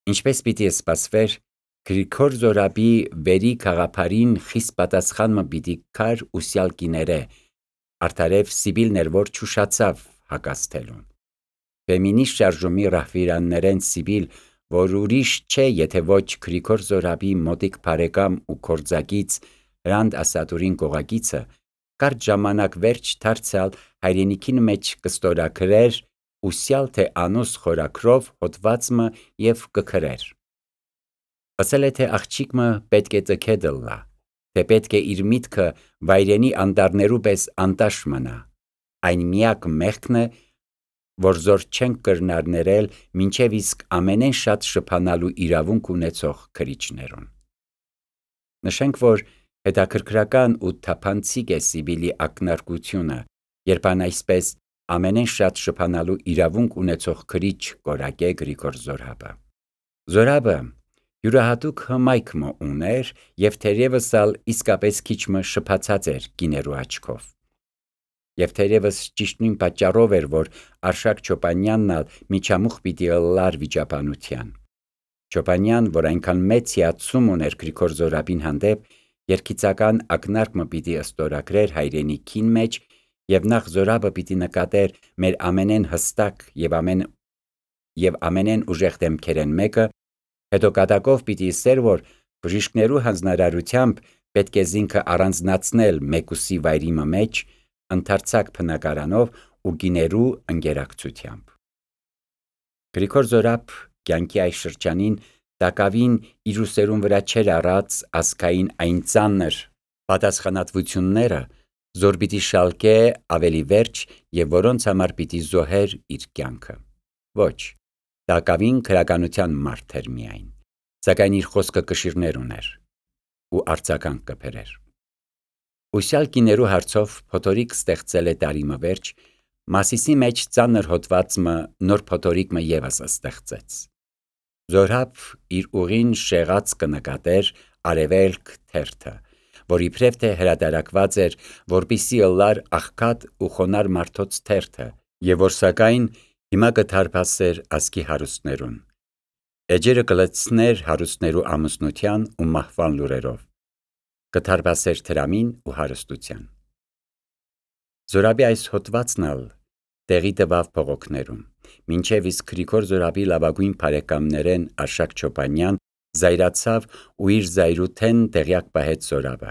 Ինչպես պիտի սպասվեր, Գրիգոր Զորաբի վերի քաղաքարին խիստ պատասխանը պիտի կար ուսյալ կիները, արդարև Սիբիլն էր, որ չուշացավ հակազդելուն։ Ֆեմինիստ շարժումի ռահվիրաններեն Սիբիլ, որ ուրիշ չէ, եթե ոչ Գրիգոր Զորաբի մոտիկ բարեկամ ու գործակից Հրանտ Ասատուրին կողակիցը, կարճ ժամանակ վերջ դարձյալ հայրենիքին մեջ կստորագրեր ուսյալ թե անուս խորակրով հոդվածը և կգրեր։ Ասել է, թե աղջիկը պետք է տքեդլլա, թե պետք է իր միտքը վայրենի անտառներու պես անտաշ մնա, այն միակ մեղքն է, որ զոր չենք կրնարներել մինչև իսկ ամենեն շատ շփանալու իրավունք ունեցող քրիչներուն։ Նշենք, որ հետաքրքրական ու թափանցիկ է Սիբիլի ակնարկությունը, երբ ան այսպես ամենեն շատ շփանալու իրավունք ունեցող քրիչ կորակե Գրիգոր Զորաբը։ Զորաբը յուրահատուկ հմայք ուներ և թերևս ալ իսկապես քիչը շփացած էր կիներու աչքով։ Եվ թերևս ճիշտ նույն պատճառով էր, որ Արշակ Չոպանյանն ալ միջամուխ պիտի ըլլար վիճաբանության։ Չոպանյան, որ այնքան մեծ հիացում ուներ Գրիգոր Զորաբին հանդեպ, երգիծական ակնարկը պիտի ստորագրեր հայրենիքին մեջ, և նախ Զորաբը պիտի նկատեր մեր ամենեն հստակ և ամենեն ուժեղ դեմքերեն մեկը, հետո կատակով պիտի ասեր, որ բժիշկներու հանձնարարությամբ պետք է զինքը առանձնացնել մեկուսի վայրի մեջ, ընդարձակ բնակարանով ու գիներու ընկերակցությամբ։ Գրիգոր Զորաբ կյանքի այս շրջանին տակավին իր ուսերուն վրա չեր առած ազգային այն ծանր պատասխանատվությունները, զոր պիտի շալկե ավելի վերջ և որոնց համար պիտի զոհեր իր կյանքը։ Ոչ, տակավին քրականության մարդ էր միայն, սակայն իր խոսքը կշիռներ ուներ ու արձագանք կբերեր։ Ուսյալ կիներու հարցով փոթորիկ ստեղծել է տարիմը վերջ, Մասիսի մեջ ծանր հոդվածը նոր փոթորիկը ևս ստեղծեց։ Զորաբ իր ուղին շեղած կնկատեր արևելք թերթը, որ իբրև թե հրատարակված էր, որպիսի ըլլար աղքատ ու խոնար մարդոց թերթը, և որ սակայն հիմա կդարբասեր ազգի հարուստներուն, էջերը կլցներ հարուստներու ամուսնության ու մահվան լուրերով, կդարբասեր դրամին ու հարստության։ Զորաբի այս հոդվածն ալ տեղի տվավ փողոքներում, մինչև իսկ Գրիգոր Զորաբի լավագույն բարեկամներեն Արշակ Չոպանյան զայրացավ ու իր զայրութեն տեղյակ պահեց Զորաբը։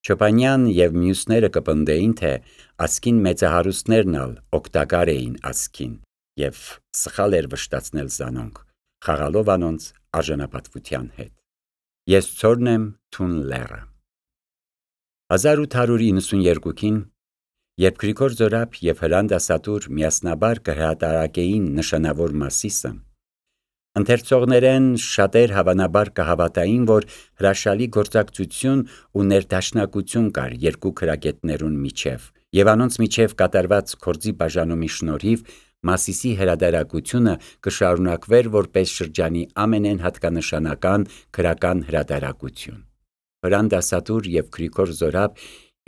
Չոպանյան և մյուսները կպնդեին, թե ազգին մեծահարուստներն ալ օգտակար էին ազգին և սխալ էր վշտացնել զանոնք, խաղալով անոնց արժանապատվության հետ։ Ես ցորն եմ թուն լեռը։ 1892-ին, երբ Գրիգոր Զորաբ և Հրանտ Ասատուր միասնաբար կհրատարակեին նշանավոր Մասիսը, ընթերցողներեն շատեր հավանաբար կհավատային, որ հրաշալի գործակցություն ու ներդաշնակություն կար երկու քրագետներուն միջև, և անոնց միջև կատարված գործի բաժանումի շնորհիվ Մասիսի հրատարակությունը կշարունակվեր որպես շրջանի ամենեն հատկանշական գրական հրատարակություն։ Հրանտ Ասատուր և Գրիգոր Զորաբ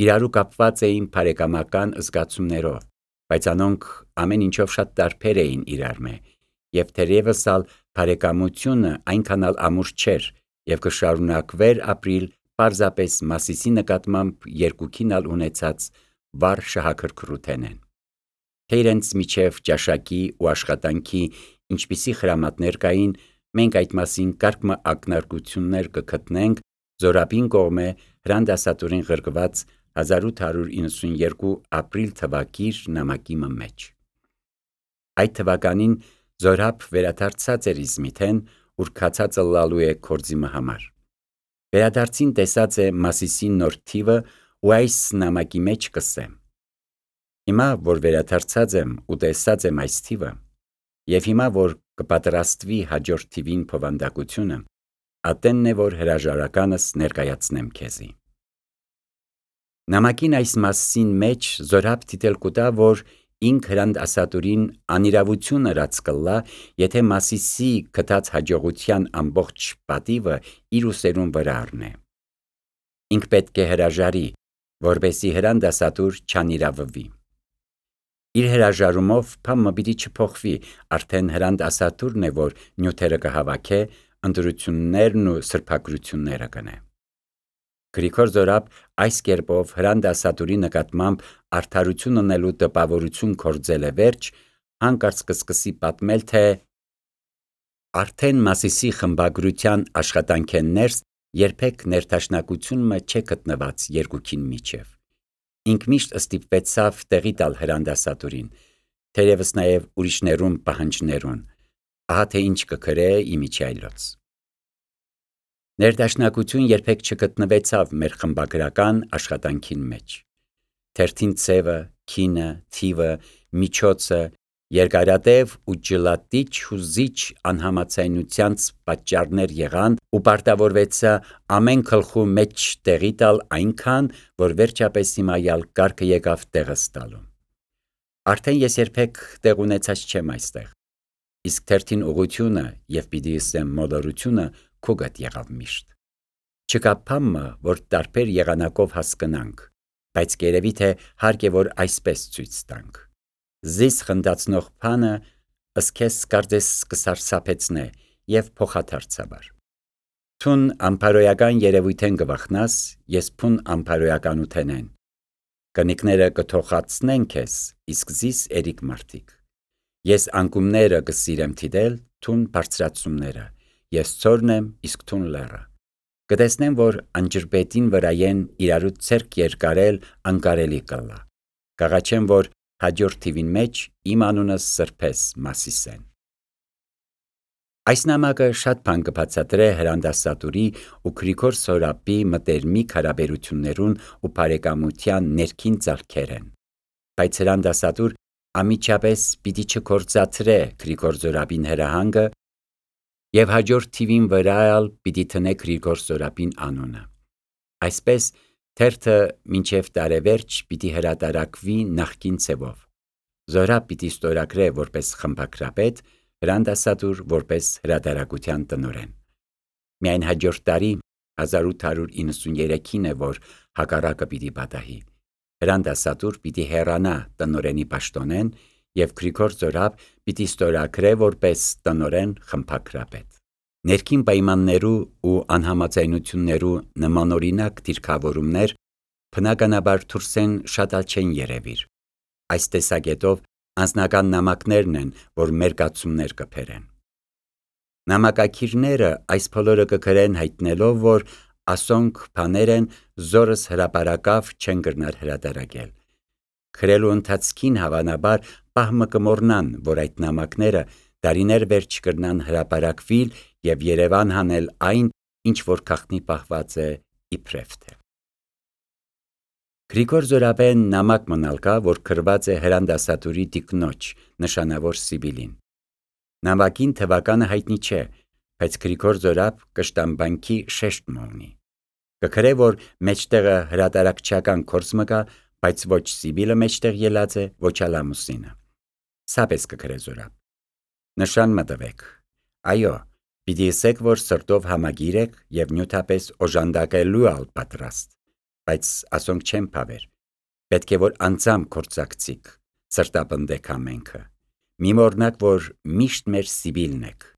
իրարու կապված էին բարեկամական զգացումներով, բայց անոնք ամեն ինչով շատ տարբեր էին իրարմե, և թերևս ալ բարեկամությունը այնքան ալ ամուր չէր և կշարունակվեր ապրիլ պարզապես Մասիսի նկատմամբ երկուքին ալ ունեցած վառ շահագրգռութենեն։ Թե իրենց միջև ճաշակի ու աշխատանքի ինչպիսի խրամատներ կային, մենք այդ մասին կարճ ակնարկություններ կգտնենք Զորաբին կողմէ Հրանտ Ասատուրին ղրկված 1892 ապրիլ թվակիր նամակի մեջ։ Այդ թվականին Զորաբ վերադարձած էր Իզմիթեն, ուր քացած ըլլալու է գործի համար։ Վերադարձին տեսած է Մասիսի նոր թիվը ու այս նամակի մեջ կսե. Հիմա, որ վերադարձած եմ ու տեսած եմ այս թիվը, և հիմա, որ կպատրաստվի հաջորդ թիվին բովանդակությունը, ատենն է, որ հրաժարականս ներկայացնեմ քեզի։ Նամակին այս մասին մեջ Զորաբ դիտել կուտա, որ ինք Հրանտ Ասատուրին անիրավություն ըրած կլլա, եթե Մասիսի գտած հաջողության ամբողջ պատիվը իր ուսերուն վրա առնե։ Ինք պետք է հրաժարի, որպեսզի Հրանտ Ասատուր չանիրավվի։ Իր հրաժարումով փամը պիտի չփոխվի, արդեն Հրանտ Ասատուրն է, որ նյութերը կհավաքե, ընտրություններն ու սրբագրությունները կնե։ Գրիգոր Զորապ այս կերպով Հրանտ Ասատուրի նկատմամբ արդարություն ունելու տպավորություն կործել է վերջ, հանկարծ կսկսի պատմել, թե արդեն Մասիսի խմբագրության աշխատանքեն ներս երբեք ներդաշնակությունը չէ գտնված երկուքին միջև։ Ինք միշտ ստիպվեցավ տեղի տալ Հրանտ Ասատուրին, թերևս նաև ուրիշներուն պահանջներուն, ահա թե ինչ կգրե իմիջիայլոց։ Ներդաշնակություն երբեք չգտնվեցավ մեր խմբագրական աշխատանքին մեջ։ Թերթին ցևը, քինը, թիվը, միջոցը, երկարատև ու ջլատիչ հուզիչ անհամացայնությանց պատճառներ եղան ու պարտավորվեցա ամեն գլխու մեջ տեղի տալ այնքան, որ վերջապես հիմայալ կարգը եկավ տեղս տալու։ Արդեն ես երբեք տեղ ունեցած չեմ այստեղ, իսկ թերթին ուղությունը եւ պիտի ասեմ մոլորությունը քուգատ եղավ միշտ։ Չկա բամը, որ տարբեր եղանակով հասկանանք, բայց կերևի թե հարկ է որ այսպես ցույց տանք։ Զիս խնդացնող բանը ըսքես կարծես կսարսափեցնե եւ փոխադարձաբար։ Թուն ամփարոյական երևույթեն գվախնաս, ես փուն ամփարոյականութենեն։ Կնիկները կթողացնեն քեզ, իսկ զիս երիկ մարդիկ։ Ես անկումները կսիրեմ թիդել, թուն բարձրացումները, ես ծորն եմ, իսկ թուն լերը։ Կտեսնեմ, որ անջրպետին վրայեն իրարու ցերկ երկարել անկարելի կլա։ Կաղաչեմ, որ հաջորդ թիվին մեջ իմ անունս սրբես Մասիսեն։ Այս նամակը շատ բան կբացատրե Հրանտ Ասատուրի ու Գրիգոր Զորապի մտերմիկ հարաբերություններուն ու բարեկամության ներքին ծալքերեն։ Բայց Հրանտ Ասատուր ամիջապես պիտի չկործածրե Գրիգոր Զորապին հրահանգը եւ հաջորդ թիվին վրայալ պիտի տնե Գրիգոր Զորապին անունը։ Այսպես թերթը մինչև տարեվերջ պիտի հրատարակվի նախկին ցևով։ Զորապ պիտի ստորագրե որպես խմբագրապետ, Հրանտ Ասատուր որպես հրատարակության տնօրեն։ Միայն հաջորդ տարի 1893-ին է, որ հակառակը պիտի պատահի։ Հրանտ Ասատուր պիտի հեռանա տնօրենի պաշտոնեն եւ Գրիգոր Զորապ պիտի ստորագրե որպես տնօրեն խմբագրապետ։ Ներքին պայմաններու ու անհամաձայնություններու նմանօրինակ դիրքավորումներ բնականաբար դուրսեն շատ չեն երևիր։ Այս տեսակետով անձնական նամակներն են, որ մերկացումներ կփերեն։ Նամակակիրները այս բոլորը կգրեն հայտնելով, որ ասոնք բաներ են զորս հրապարակավ չեն գրնար հրատարակել։ Գրելու ընթացքին հավանաբար պահմը կմոռնան, որ այդ նամակները դարիներ վերջ կրնան հրապարակվիլ եւ Երևան հանել այն, ինչ որ քաղտնի պահված է իբրև թե։ Գրիգոր Զորապեն նամակ մնալ կա, որ գրված է Հրանտ Ասատուրի տիկնոջ, նշանավոր Սիբիլին։ Նամակին թվականը հայտնի չէ, բայց Գրիգոր Զորապ կշտամբանքի շեշտ մոնի։ Կգրե, որ մեջտեղը հրատարակչական կորս մկա, բայց ոչ Սիբիլը մեջտեղ ելած է, ոչ Ալամուսինը։ Սապես կգրե Զորապ։ Նշան մտվեք։ Այո, պիտի ասեք, որ սրտով համագիր եք եւ նյութապես օժանդակելու ալ պատրաստ, բայց ասոնք չեն փավեր։ Պետք է որ անձամ կործակցիկ, սրտապնդեք ամենքը։ Մի մոռնաք, որ միշտ մեր Սիբիլն եք։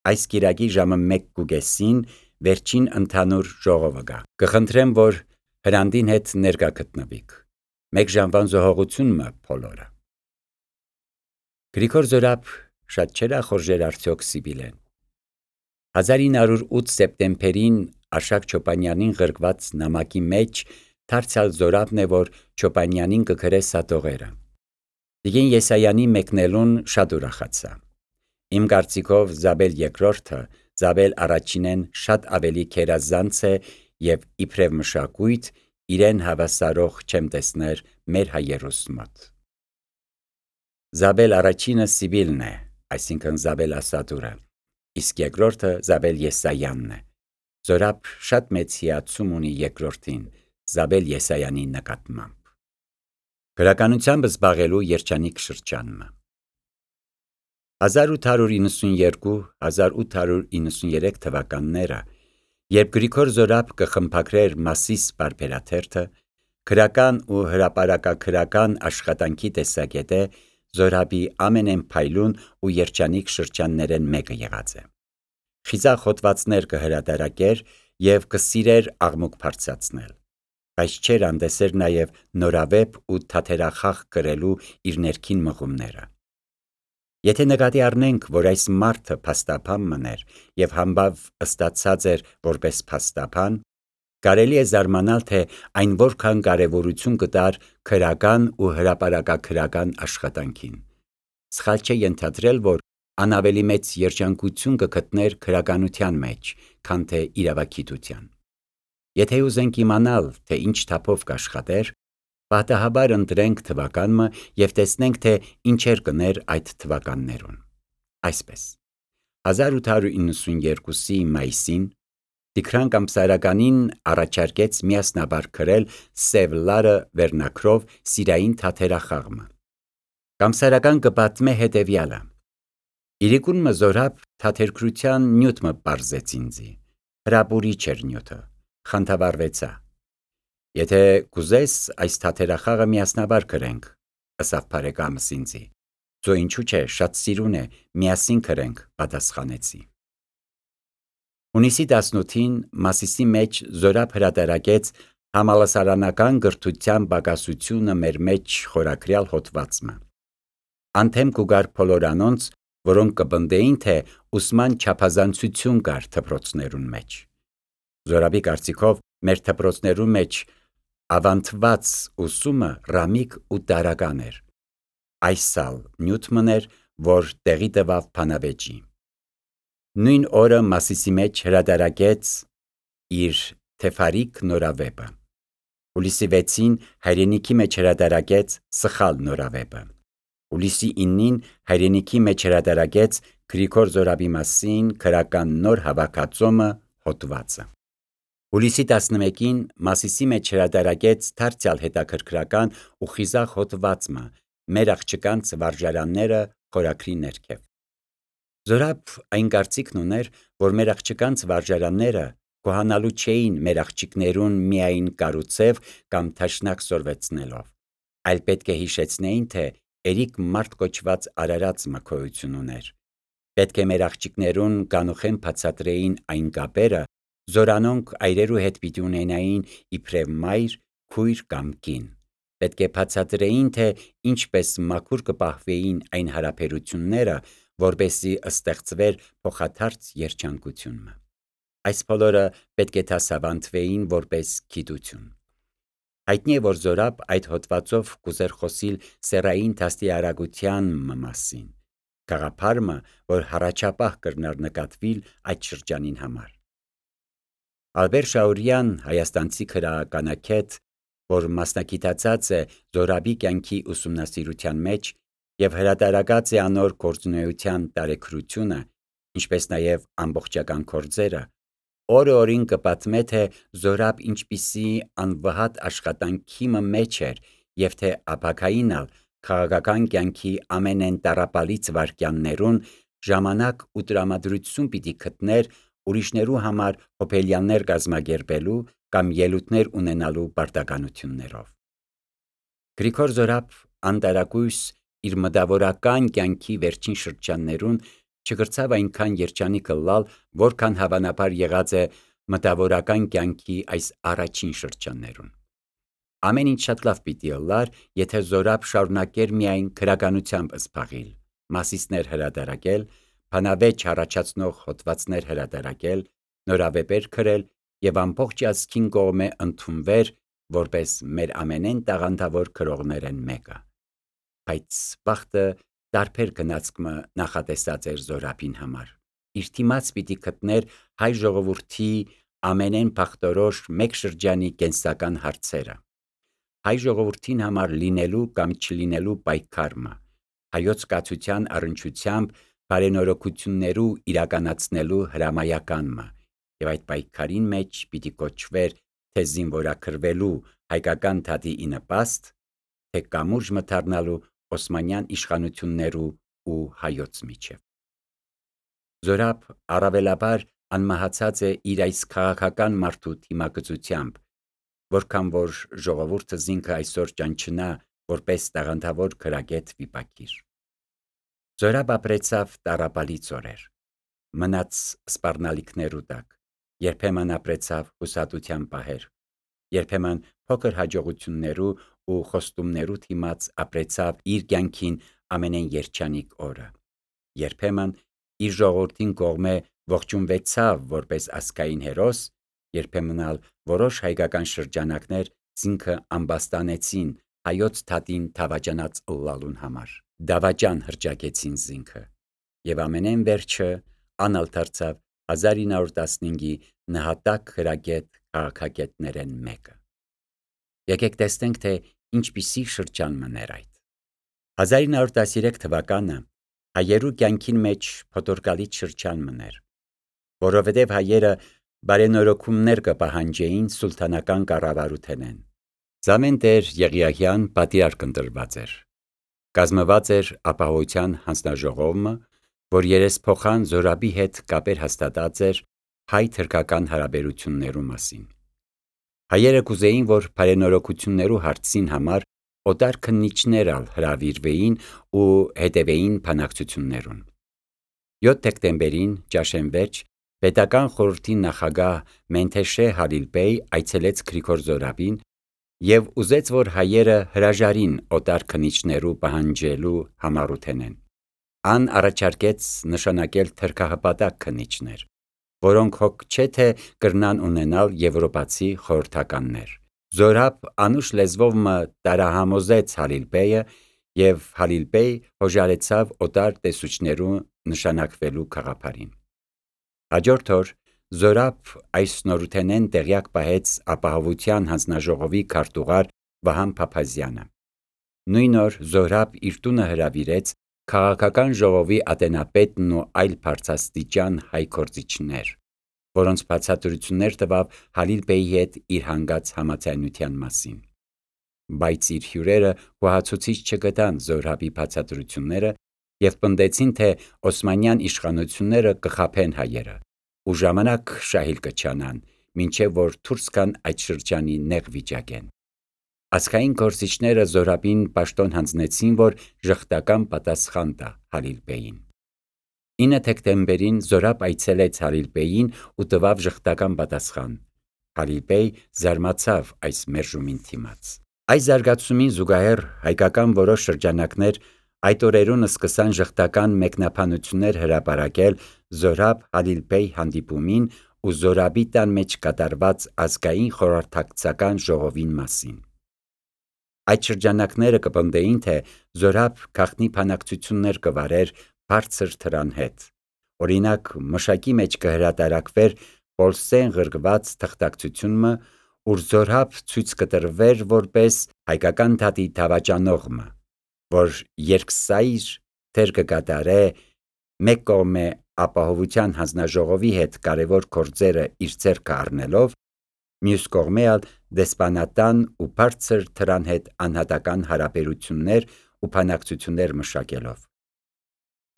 Այս կիրակի ժամը 1:30-ին վերջին ընդհանուր ժողովը գա։ Կխնդրեմ, որ Հրանդին հետ ներկա գտնվիք։ 1 ժամվան զոհողությունը բոլորը։ Գրիգոր Զորապ շատ չերախորժեր արդյոք Սիբիլեն։ 1908 սեպտեմբերին Արշակ Չոպանյանին գրկված նամակի մեջ դարձյալ Զորապն է, որ Չոպանյանին կգրե սատողերը։ Տիկին Եսայանի մեկնելուն շատ ուրախացա։ Իմ կարծիքով Զաբել երկրորդը Զաբել առաջինեն շատ ավելի քերազանց է եւ իբրև մշակույթ իրեն հավասարող չեմ տեսներ մեր հայերուս մոտ։ Զաբել առաջինը Սիբիլն է, այսինքն Զաբել Ասատուրը, իսկ երկրորդը Զաբել Եսայանն է։ Զորապ շատ մեծ հիացում ունի երկրորդին, Զաբել Եսայանի նկատմամբ։ Գրականությամբ զբաղելու երջանիկ շրջանը 1892-1893 թվականները, երբ Գրիգոր Զորապ կխմբագրեր Մասիս բարբերաթերթը, Քրական ու հրապարակաքրական աշխատանքի տեսակետը Զորաբի ամենեն փայլուն ու երջանիկ շրջաններեն մեկը եղած է։ Խիզախ հոդվածներ կհրատարակեր եւ կսիրեր աղմուկ բարձրացնել, բայց չէր անդեսեր նաեւ նորավեպ ու թաթերախաղ կրելու իր ներքին մղումները։ Եթե նկատի առնենք, որ այս մարդը փաստաբան մներ եւ համբավ ըստացած էր որպես փաստաբան, կարելի է զարմանալ, թե այն որքան կարևորություն կտար քրական ու հրապարակաքրական աշխատանքին։ Սխալ չէ ենթադրել, որ ան ավելի մեծ երջանկություն կգտներ քրականության մեջ, քան թե իրավագիտության։ Եթե ուզենք իմանալ, թե ինչ թափով կաշխատեր, պատահաբար ընտրենք թվականը եւ տեսնենք, թե ինչեր կներ այդ թվականներուն։ Այսպես 1892-ի մայիսին Տիգրան Կամսարականին առաջարկեց միասնաբար գրել «Սև լարը» վերնագրով սիրային թաթերախաղը։ Կամսարական կպատմե հետևյալը. «Իրիկուն մը Զորաբ թաթերգրության նյութ մը պարզեց ինձի, հրապուրիչ էր նյութը, խանդավառվեցա. եթե կուզես այս թաթերախաղը միասնաբար գրենք, ըսավ բարեկամս ինձի, ձո ինչու չէ, շատ սիրուն է, միասին գրենք, պատասխանեցի»։ Հունիսի 18-ին Մասիսի մեջ Զորաբ հրատարակեց «Համալսարանական գրթության պակասությունը մեր մեջ» խորագրյալ հոդվածը։ Անթեմ կուգար բոլոր անոնց, որոնք կպնդեին, թե ուսման չափազանցություն կար դպրոցներուն մեջ։ Զորաբի կարծիքով մեր դպրոցներուն մեջ ավանդված ուսումը ռամիկ ու տարրական էր։ Այս ալ նյութ մներ, որ տեղի տվավ բանավեճի։ Նույն օրը Մասիսի մեջ հրատարակեց իր «Թեֆարիկ» նորավեպը։ Հուլիսի 6-ին հայրենիքի մեջ հրատարակեց «Սխալ» նորավեպը։ Հուլիսի 9-ին հայրենիքի մեջ հրատարակեց Գրիգոր Զորաբի մասին քրական նոր հավաքածոմը հոդվածը։ Հուլիսի 11-ին Մասիսի մեջ հրատարակեց դարձյալ հետաքրքրական ու խիզախ հոդվածը «Մեր աղջկանց վարժարանները» խորագրի ներքև։ Զորաբ այն կարծիքն ուներ, որ մեր աղջկանց վարժարանները գոհանալու չէին մեր աղջիկներուն միայն կառուցև կամ թաշնակ սորվեցնելով, այլ պետք է հիշեցնեին, թե երիկ մարդ կոչված արարածը գոյություն ուներ։ Պետք է մեր աղջիկներուն կանուխեն բացատրեին այն կապերը, զորանոնք այրերու հետ պիտի ունենային իբրև մայր, քույր կամ կին։ Պետք է բացատրեին, թե ինչպես մաքուր կպահվեին այն հարաբերությունները, որպեսզի ստեղծվեր փոխադարձ երջանկությունը։ Այս բոլորը պետք է դասավանդվեին որպես գիտություն։ Հայտնի է, որ Զորաբ այդ հոդվածով կուզեր խոսիլ սեռային դաստիարակության մասին, գաղափարը, որ հառաջապահ կրնար նկատվիլ այդ շրջանին համար։ Ալբեր Շաուրյան, հայաստանցի գրականագետ, որ մասնագիտացած է Զորաբի կյանքի ուսումնասիրության մեջ եւ հրատարակած է անոր գործունեության տարեգրությունը, ինչպես նաեւ ամբողջական գործերը, օրը-օրին կպատմե, թե Զորաբ ինչպիսի անվհատ աշխատանքի մեջ էր եւ թե ապագային ալ քաղաքական կյանքի ամենեն տառապալից վայրկյաններուն ժամանակ ու տրամադրություն պիտի գտներ ուրիշներու համար հոբելյաններ կազմակերպելու կամ ելույթներ ունենալու պարտականություններով։ Գրիգոր Զորաբ անտարակույս իր մտավորական կյանքի վերջին շրջաններուն չգրցավ այնքան երջանիկ ըլլալ, որքան հավանաբար եղած է մտավորական կյանքի այս առաջին շրջաններուն։ Ամեն ինչ շատ լավ պիտի ըլլար, եթե Զորաբ շարունակեր միայն գրականությամբ զբաղիլ, Մասիսներ հրատարակել, բանավեճ առաջացնող հոդվածներ հրատարակել, նորավեպեր գրել եւ ամբողջ ազգին կողմէ ընդունվեր որպես մեր ամենեն տաղանդավոր գրողներեն մեկը։ Բայց բախտը տարբեր գնացք նախատեսած էր Զորաբին համար։ Իր դիմաց պիտի գտներ հայ ժողովրդի ամենեն բախտորոշ մեկ շրջանի կենսական հարցերը, հայ ժողովրդին համար լինելու կամ չլինելու պայքարը, հայոց կացության առնչությամբ բարենորոգություններու իրականացնելու հրամայականը եւ այդ պայքարին մեջ պիտի կոչվեր թե զինվորագրվելու հայկական դատի ի նպաստ, թե կամուրջ մթարնալու օսմանյան իշխանություններու ու հայոց միջև։ Զորաբ առավելաբար անմահացած է իր այս քաղաքական մարդու դիմակցությամբ, որքան որ ժողովուրդը զինքը այսօր ճանչնա որպես տաղանդավոր քրագետ վիպակիր։ Զորաբ ապրեցավ տառապալից օրեր, մնաց սպառնալիքներու տակ, երբեմն ապրեցավ հուսատության պահեր, երբեմն փոքր հաջողություններու ու խոստումներու թիմաց ապրեցավ իր կյանքին ամենեն երջանիկ օրը, երբեմն իր ժողովրդին կողմէ ողջունվեցավ որպես ազգային հերոս, երբեմն ալ որոշ հայկական շրջանակներ զինքը ամբաստանեցին հայոց թատին դավաճանած ըլլալուն համար, դավաճան հրճակեցին զինքը, եւ ամենեն վերջը անալ դարձավ 1915-ի նահատակ քրագետ քաղաքագետներեն մեկը։ Եկեք տեսնենք, թե ինչպիսի շրջան մներ այդ։ 1913 թվականը հայերու կյանքին մեջ փոթորկալից շրջան մներ, որովհետև հայերը բարենորոգումներ կպահանջեին սուլթանական կառավարութենեն։ Զամեն Տեր Եղիահյան պատիարք ընտրված էր։ Կազմված էր ապահովության հանձնաժողովը, որ երեսփոխան Զորաբի հետ կապեր հաստատած էր հայ-թրքական հարաբերություններու մասին։ Հայերը կուզեին, որ բարենորոգություններու հարցին համար օտար քննիչներ ալ հրավիրվեին ու հետևեին բանակցություններուն։ 7 դեկտեմբերին ճաշեն պետական խորհրդի նախագահ Մենթեշե Հալիլբեյ այցելեց Գրիգոր Զորաբին եւ ուզեց, որ հայերը հրաժարին օտար քննիչներու պահանջելու համառութենեն։ Ան առաջարկեց նշանակել թրքահպատակ քննիչներ, որոնք հոգ չէ թե կրնան ունենալ եվրոպացի խորհրդականներ։ Զորաբ անուշ լեզվով մը տարահամոզեց Հալիլբեյը եւ Հալիլբեյ հոժարեցավ օտար տեսուչներու նշանակվելու գաղափարին։ Հաջորդ օր Զորաբ այս նորութենեն տեղյակ պահեց ապահովության հանձնաժողովի քարտուղար Վահան Փափազյանը։ Նույն օր Զորաբ իր տունը հրավիրեց քաղաքական ժողովի ատենապետն ու այլ բարձրաստիճան հայ գործիչներ, որոնց բացատրություններ տվավ Հալիլբեյի հետ իր հանգած համաձայնության մասին։ Բայց իր հյուրերը գոհացուցիչ չգտան Զորաբի բացատրությունները եւ պնդեցին, թե Օսմանյան իշխանությունները կխաբեն հայերը ու ժամանակ շահիլ կչանան, մինչև որ դուրս գան այդ շրջանի նեղ վիճակեն։ Ազգային գործիչները Զորաբին պաշտոն հանձնեցին, որ ժխտական պատասխան տա Հալիլբեյին։ 9 դեկտեմբերին Զորաբ այցելեց Հալիլբեյին ու տվավ ժխտական պատասխան։ Հալիլբեյ զարմացավ այս մերժումին դիմաց։ Այս զարգացումին զուգահեռ հայկական որոշ շրջանակներ այդ օրերուն սկսան ժխտական մեկնաբանություններ հրապարակել Զորաբ Հալիլբեյ հանդիպումին ու Զորաբի տան մեջ կատարված ազգային խորհրդակցական ժողովին մասին։ Այդ շրջանակները կպնդեին, թե Զորաբ գաղտնի բանակցություններ կվարեր բարձր թրան հետ։ Օրինակ, մշակի մեջ կհրատարակվեր Պոլսեն ղրկված թղթակցությունը, ուր Զորաբ ցույց կտրվեր որպես հայկական դատի դավաճանողը, որ երկսայր թեր կկատարե մեկ կողմէ ապահովության հանձնաժողովի հետ կարևոր գործերը իր ձեռքը առնելով, մյուս կողմէ ալ դեսպանատան ու բարձր թրան հետ անհատական հարաբերություններ ու բանակցություններ մշակելով։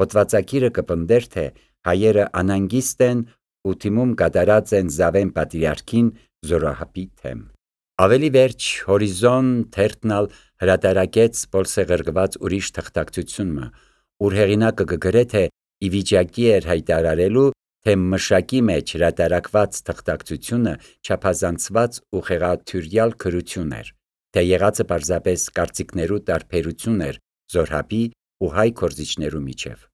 Հոդվածագիրը կպնդեր, թե հայերը անհանգիստ են ու թիմում կատարած են Զավեն պատրիարքին Զորահապի թեմ։ Ավելի վերջ Հորիզոն թերթն ալ հրատարակեց Պոլսե ղրկված ուրիշ թղթակցությունը, ուր հեղինակը կգրե, թե ի վիճակի էր հայտարարելու, թե մշակի մեջ հրատարակված թղթակցությունը չափազանցված ու խեղաթյուրյալ գրություն էր, թե եղածը պարզապես կարծիքներու տարբերություն էր Զորհապի ու հայ գործիչներու միջև։